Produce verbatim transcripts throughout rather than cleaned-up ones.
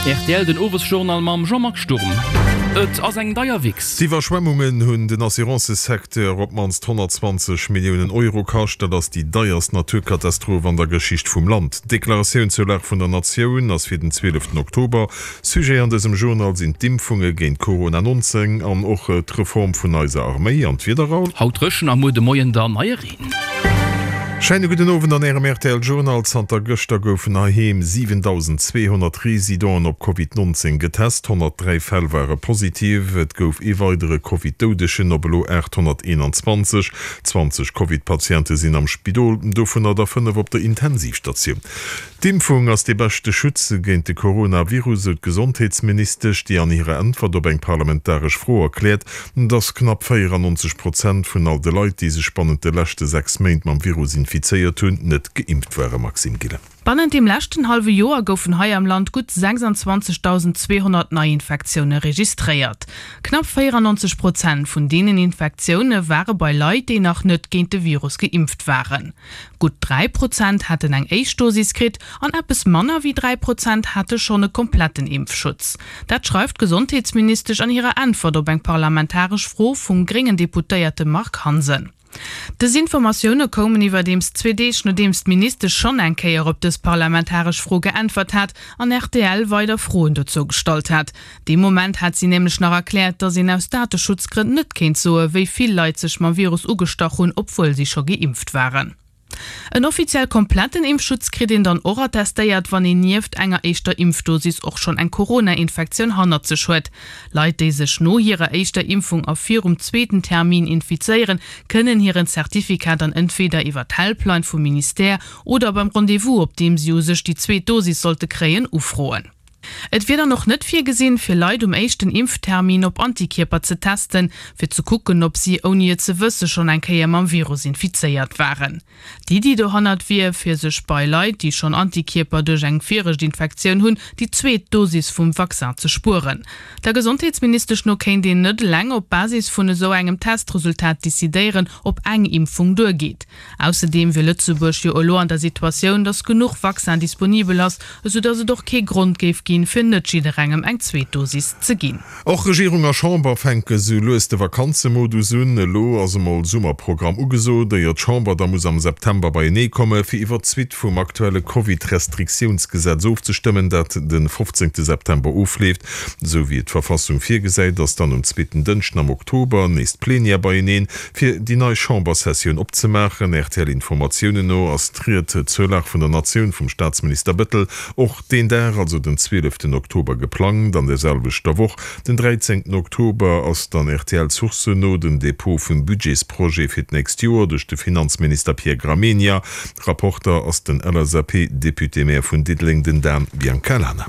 Rtl den Owesjournal mam Jean-Marc Sturm. Et ass eng deier Wichs. D'Iwwerschwemmungen hunn den Assurancësecteur op d'mannst honnertzwanzeg Milliounen Euro kascht. Dat ass déi deierst Naturkatastroph an der Geschicht vum Land. D'Deklaratioun zur Lag vun der Natioun ass fir den zwieleften Oktober. Sujet an dësem Journal sinn d'Impfunge géint Corona neunzéng an och d'Reform vun eiser Arméi an d'Wieder. Raoul. Haut dréchen a muer de Moien dann neie Reen. Scheine gudden Owend an Ärem rtl Journal. Zanter gëschter goufen heiheem siwentausendzweehonnert Residenten op Covid neunzéng getest, honnertdräi Fäll ware positiv. Et gouf ee weidere Covid-Doudegen, op elo aathonnerteenanzwanzeg. Zwanzeg Covid-Patiente sinn am Spidol, dovunner der fënnef op der Intensivstatioun. D'Impfung ass dee beschte Schutz géint de Coronavirus, sou d'Gesondheetsministesch, déi an hirer Äntwert op eng parlamentaresch Fro erkläert, dass knapp véierannonzeg Prozent vun all de Leit, déi sech bannent de leschte sechs Méint mam Virus infizéiert hunn, net geimpft waren. Maxime Gillen. Bannent deem leschten hallwe Joer goufen hei am Land gutt sechsanzwanzegtausendzweehonnert Neiinfektioune registréiert. Knapp véierannonzeg Prozent vun deenen Infektioune ware bei Leit, déi nach net géint de Virus geimpft waren. Gutt dräi Prozent haten eng éischt Dosis kritt an eppes manner wéi dräi Prozent hate schonn e kompletten Impfschutz. Dat schreift d'Gesondheetsministesch an hirer Äntwert op eng parlamentaresch Fro vum gréngen Deputéierte Marc Hansen. Dës Informatioune koumen iwwerdeems zwee Deeg nodeems d'Ministesch schonn eng Kéier op dës parlamentaresch Fro geäntwert hat an rtl weider Froen dozou gestallt hat. Dee Moment hat si nämlech nach erkläert, datt een aus Dateschutzgrënn net kéint soe wéi vill Leit sech mam Virus ugestach hunn, obwuel si scho geimpft waren. En offiziell kompletten Impfschutz kritt een dann och attestéiert, wann een nieft enger éischter Impfdosis och schonn eng Corona-Infektioun hannert sech huet. Leit, déi sech no hirer éischter Impfung a virum zweeten Termin infizéieren, kënnen hiren Certificat dann entweeder iwwer d'Helpline vum Ministère oder beim Rendez-vous, op deem si u sech déi zweet Dosis sollte kréien, ufroen. Et wier dann och net virgesinn, fir Leit um éischten Impftermin op Antikierper ze testen, fir ze kucken, ob si ouni et ze wësse schonn eng Kéier mam Virus infizéiert waren. D'Iddi dohannert wier, fir sech bei Leit, déi schonn Antikierper duerch eng viregt Infektioun hunn, déi zweet Dosis vum Vaccin ze spueren. Der Gesondheetsministesch no kéint een net eleng op Basis vun esou engem Testresultat decidéieren, ob eng Impfung duergeet. Ausserdeem wier Lëtzebuerg jo elo an der Situatioun, datt genuch Vaccin disponibel ass, esou datt et och kee Grond géif ginn, fir net jidderengem eng zweet Dosis ze ginn. Och Regierung a Chamber fänke sou lues de Vakanzemodus un. Elo ass emol Summerprogramm ugesot, éier d'Chamber da muss am September beienee komme fir iwwer d'Suite vum aktuelle Covid-Restriktiounsgesetz ofzestëmmen, dat de fofzéngte September ofleeft. Esou wéi et d'Verfassung virgesäit, ass dann um zweeten Dënschden am Oktober nees d'Plenière beieneen, fir déi nei Chambersessioun opzemaachen. R T L-Informatiounen no ass d'Ried zur Lag vun der Natioun vum Staatsminister Bettel och deen Dag, also den zwieleften Oktober geplangt. An der selwechter Woch, den dräizéngten Oktober, ass dann R T L-Sourcen no den Depot vum Budgetsprojet fir d'nächst Joer duerch de Finanzminister Pierre Gramegna. Rapporter ass den L S A P-Député-Maire vun Diddeleng, den Dan Biancalana.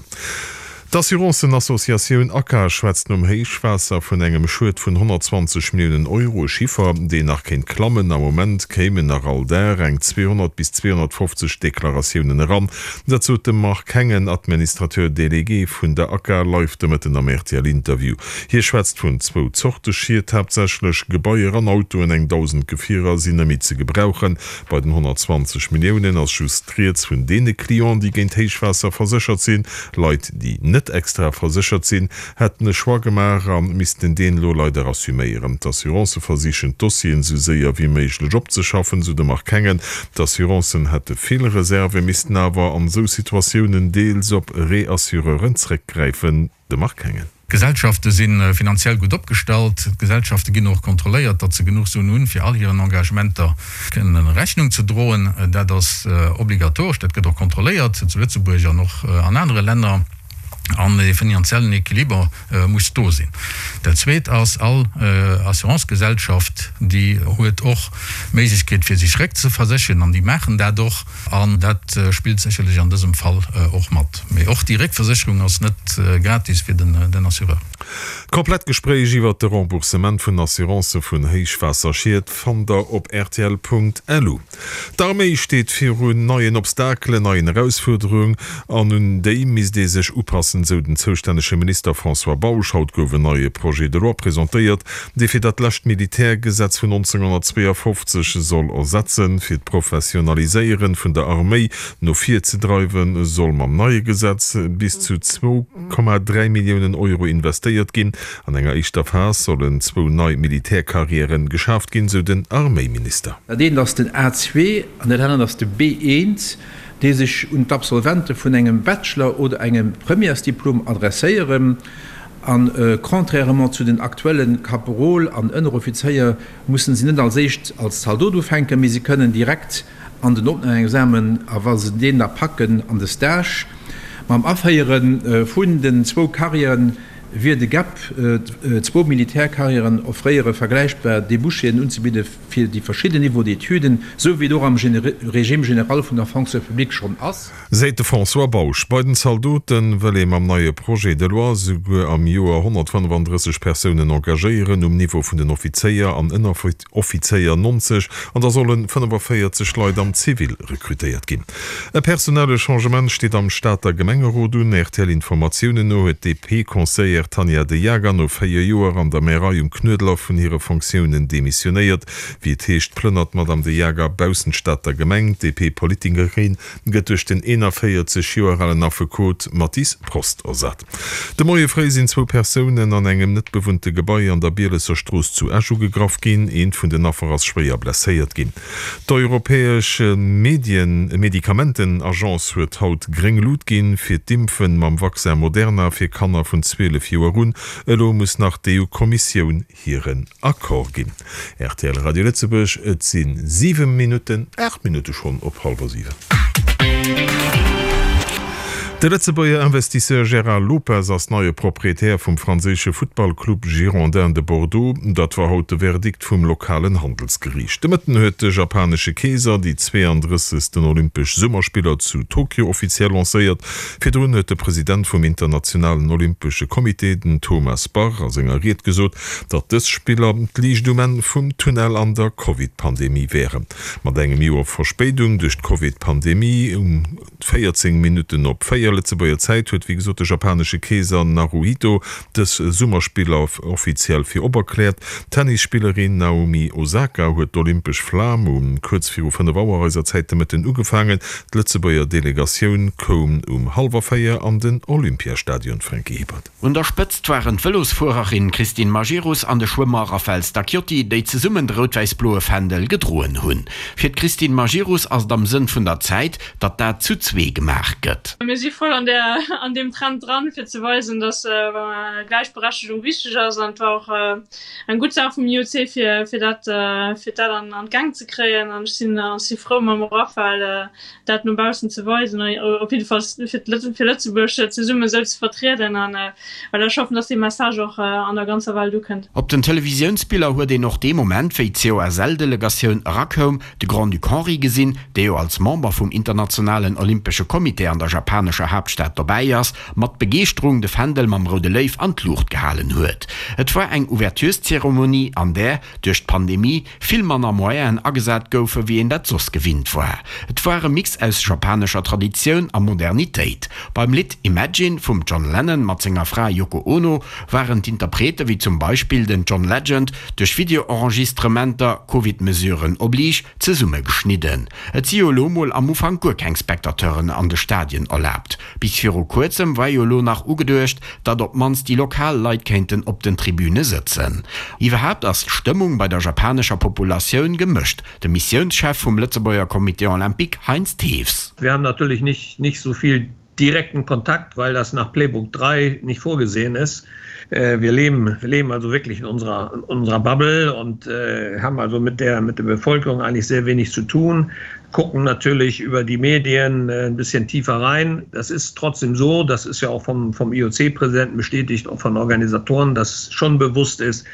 D'Assurancen-Associatioun ACA schwätzt nom Héichwaasser vun engem Schued vun honnertzwanzeg Milliounen Euro, e Chiffer, deen nach kéint klammen. Am Moment kéimen nach all Dag eng zweehonnert bis zweehonnertfofzeg Deklaratiounen eran. Dat sot de Marc Hengen, Administrateur délégué vun der ACA, live de Mëtten am R T L-Interview. Hie schwätzt vun zwou Zorte Schied, haaptsächlech Gebaier an Autoen. Eng dausend Gefierer sinn net méi ze gebrauchen. Bei den honnertzwanzeg Milliounen ass just rieds vun deene Clienten, déi géint Héichwaasser verséchert sinn. Leit, déi net extra verséchert sinn, hätten e Choix gemaach a missten deen elo leider assuméieren. D'Assurancë versichen d'Dossieren esou séier wéi méiglech opzeschaffen, sou de Marc Hengen. D'Assurancen hätte vill Reserven, missten awer an esou Situatiounen deels op Reassureuren zréckgräifen. De Marc Hengen. D'Gesellschafte si finanziell gutt opgestallt. D'Gesellschafte ginn och kontrolléiert, datt se genuch Suen hunn, fir all hiren Engagementer kënnen Rechnung ze droen. Dat ass obligatoresch, dat gëtt och kontrolléiert zu Lëtzebuerg an och an anere Länner. An e finanziellen Equiliber muss do sinn. Dat Zweet ass, all Assurancegesellschaft, déi huet och d'Méiglechkeet, fir sech réckzeversécheren, an déi maachen dat och. An dat spillt sécherlech an dësem Fall och mat. Mee och déi Réckversécherung ass net gratis fir den Assureur. D'komplett Gespréich iwwert de Remboursement vun Assurancë vun Héichwaasserschied fannt der op rtl Punkt lu. D'Arméi steet virun neien Obstakelen, neien Erausfuerderungen an un déi misst ee sech upassen. unzepassen, sou den zoustännege Minister François Bausch. Haut gouf en neie Projet de loi presentéiert, dee fir dat lescht Militärgesetz vun nonzénghonnertzweeafofzeg soll ersetzen. Fir d'Professionaliséiere vun der Arméi no vir ze dreiwen, soll mam neie Gesetz bis zu zwou Komma dräi Milliounen Euro investéiert ginn. An enger éischter Phas sollen zwou nei Militärcarrièren geschaaft ginn, sou den Arméiminister. Dat eent ass den A zwee an dat anert ass de B eent, déi sech un d'Absolvente vun engem Bachelor oder engem Premièresdiplom adresséieren. A contrairement zu den aktuelle Kaperol an Ënneroffizéier mussen si net als éischt als Zaldot ufänken, mee si kënnen direkt an den Opnamexamen a wa se deen da packen, an de Stage. Mam Aféiere vun den zwou Carrièren wier de Gap, zwou Militärcarrièren offréiere vergläichbar Débouchéen unzebidde fir déi verschidden Niveaux d'étuden, sou wéi et och am Régime général vun der Fonction publique schonn ass. Seet de François Bausch. Bei den Zaldote wëll ee mam neie Projet de loi souguer am Joer honnertfënnefandrësseg Persounen engagéieren, um Niveau vun den Offizéier an Ënneroffizéier neunzeg, an da solle fënnefenvéierzeg Leit am Zivil rekrutéiert ginn. E personelle Changement steet am Stater Gemengerot un. R T L-Informatiounen no huet d'D P-Conseillère Tanja De Jager no véier Joer an der Märei um Knuedler vun hire Fonctiounen demissionéiert. Wéi et heescht, plënnert d'Madame De Jager baussent d'Stater Gemeng. D'D P-Politikerin gëtt duerch den eenanvéierzeg Joer alen Affekot Mathis Prost ersat. De Moie fréi sinn zwou Persounen an engem net bewunnte Gebai an der Bielesser Strooss zu Esch ugegraff ginn. Eent vun den Affer ass schwéier blesséiert ginn. D'Europäesch Medikamentenagence huet haut gréng Lut ginn fir d'Impfen mam Vaccin Moderna fir Kanner vun zwielef Joer un. Elo muss nach d'E U-Kommissioun hiren Accord ginn. R T L Radio Lëtzebuerg, et si siwe Minutten, aacht Minutte schonn op hallwer siwen. De Lëtzebuerger Investisseur Gérard Lopez ass neie Proprietär vum franséische Futtballclub Girondins de Bordeaux. Dat war haut de Verdikt vum lokalen Handelsgeriicht. De Mëtten huet de japanesche Keeser déi zweeandrëssegsten Olympesch Summerspiller zu Tokio offiziell lancéiert. Virdrun huet de President vum Internationalen Olympesche Comité, den Thomas Bach, a senger Ried gesot, datt dës Spiller d'Liicht um Enn vum Tunnel an der Covid-Pandemie wären. Mat engem Joer Verspéidung duerch d'Covid-Pandemie, um véierzéng Minutten op véier Lëtzebuerger Zäit huet wéi gesot de japanesche Keeser Naruhito dës Summerspiller offiziell fir op erkläert. D'Tennisspillerin Naomi Osaka huet d'olympesch Flam um kuerz viru fënnef Auer eiser Zäit de Mëtten ugefaangen. D'Lëtzebuerger Delegatioun koum um hallwer véier an den Olympiastadion, Franky Hippert. Un der Spëtzt waren d'Vëlosfuererin Christine Majerus an de Schwëmmer Raphaël Stacchiotti, déi zesummen de rout-wäiss-bloe Fändel gedroen hunn. Fir d'Christine Majerus ass et am Sënn vun der Zäit, datt dat zu zwee gemaach gëtt. Mir si voll an der an deem Trend dran, fir ze weisen, dass Gläichberechtegung wichteg ass an et war och eng gutt Saach vum I O C fir fir dat fir dat an an d'Gäng ze kréien an ech sinn si frou mam Raphaël dat no baussen ze weisen, op jiddefalls fir fir Lëtzebuerg zesummen esou ze vertrieden an well ech hoffen, dass dee Message och an der ganzer Welt ukënnt. Op den Televisiounsbiller huet een och dee Moment, wéi d'C O S L-Delegatioun erakoum, de Grand-Duc Henri gesinn, dee jo als Member vum Internationalen Olympesche Comité an der japanescher Haaptstad dobäi ass, mat Begeeschterung de Fändel mam roude Léiw an d'Luucht gehalen huet. Et war eng Ouvertureszeremonie, an där, duerch d'Pandemie, vill manner Moyenen agesat goufen, wéi een dat soss gewinnt war. Et war e Mix aus japanescher Traditioun a Modernitéit. Beim Lidd Imagine vum John Lennon mat senger Fra Yoko Ono waren d'Interprete wéi zum Beispill den John Legend duerch Videoenregistrementer, Covid-Mesuren oblige, zesummegeschnidden. Et si jo elo mol am Ufank guer keng Spectateuren an de Stadien erlaabt. Bis viru kuerzem war jo elo nach ugeduecht, datt op d'mannst déi lokal Leit kéinten op den Tribüne sëtzen. Iwwerhaapt ass d'Stëmmung bei der japanescher Populatioun gemëscht. De Missiounschef vum Lëtzebuerger Comité Olympique Heinz Thews. Wir haben natürlich nicht, nicht so viel direkten Kontakt, weil das nach Playbook drei nicht vorgesehen ist. Äh, wir leben, wir leben also wirklich in unserer, in unserer Bubble und äh, haben also mit der, mit der Bevölkerung eigentlich sehr wenig zu tun, gucken natürlich über die Medien äh, ein bisschen tiefer rein. Das ist trotzdem so, das ist ja auch vom, vom I O C-Präsidenten bestätigt, auch von Organisatoren, dass schon bewusst ist,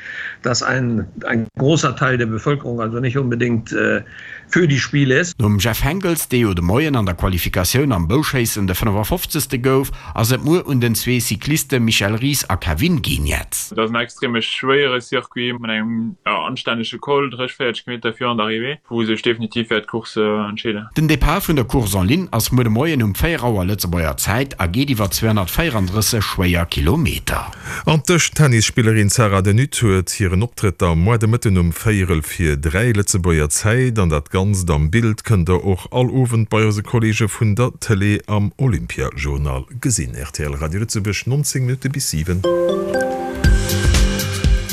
dass ein, ein großer Teil der Bevölkerung also nicht unbedingt äh, für die Spiele ist. Nom Jeff Henckels, dee jo de Moien an der Qualifikatioun am Bouschéissen de fënnefafofzegste gouf, ass et muer un den zwee Cycliste Michel Ries a Kevin Geniets. Et ass en extreme schwéiere Circuit mat engem anstännege Col, dräisseg, véierzeg Kilometer virun der Arrivée, wou sech definitiv wäert d'Course entscheeden. Den Depart vun der Course en ligne ass muer de Moien um véier Auer Lëtzebuerger Zäit a geet iwwer zweehonnertvéierandrësseg schwéier Kilometer. An d'Dëschtennisspillerin Sarah De Nutte huet hiren Optrëtt da muer de Mëtten um véierel vir dräi Lëtzebuerger Zäit. An dat Ganzt am Bild kënnt der och all Owend bei eise Kolleege vun der Tëlee am Olympia-Journal gesinn. Rtl Radio Lëtzebuerg, neunzéng Minutte bis siwen.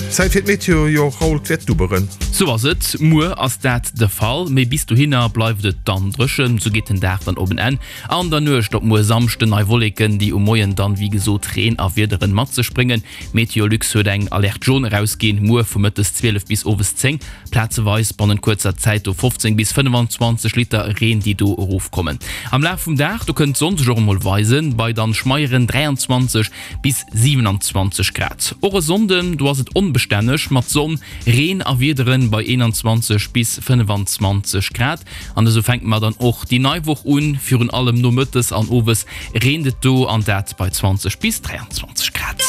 Zäit fir d'Meteo, jo Raoul, 't wäert dubberen. Sou ass et, muer ass dat de Fall, mee bis dohinner bleift et dann dréchen. Sou geet den Dag dann op en Enn. An der Nuecht op muer Samschden nei Wolleken, déi um Moien dann wéi gesot Reen a Wiederen mat sech bréngen. Meteolux huet eng Alerte jaune erausginn, muer vu mëttes zwielef bis owes zéng. Plazeweis bannent kuerzer Zäit do fofzéng bis fënnefanzwanzeg Liter Reen, déi do erofkommen. Am Laf vum Dag do kënnt d'Sonn sech och emol weisen, bei dann schmeieren dräianzwanzeg bis siwenanzwanzeg Grad. Och e Sonnden do ass et onbestänneg mat Sonn, Reen a Wiederen bei eenanzwanzeg bis fënnefanzwanzeg Grad. An esou fänke mer dann och déi nei Woch un, virun allem nomëttes an owes reent et do, an dat bei zwanzeg bis dräianzwanzeg Grad.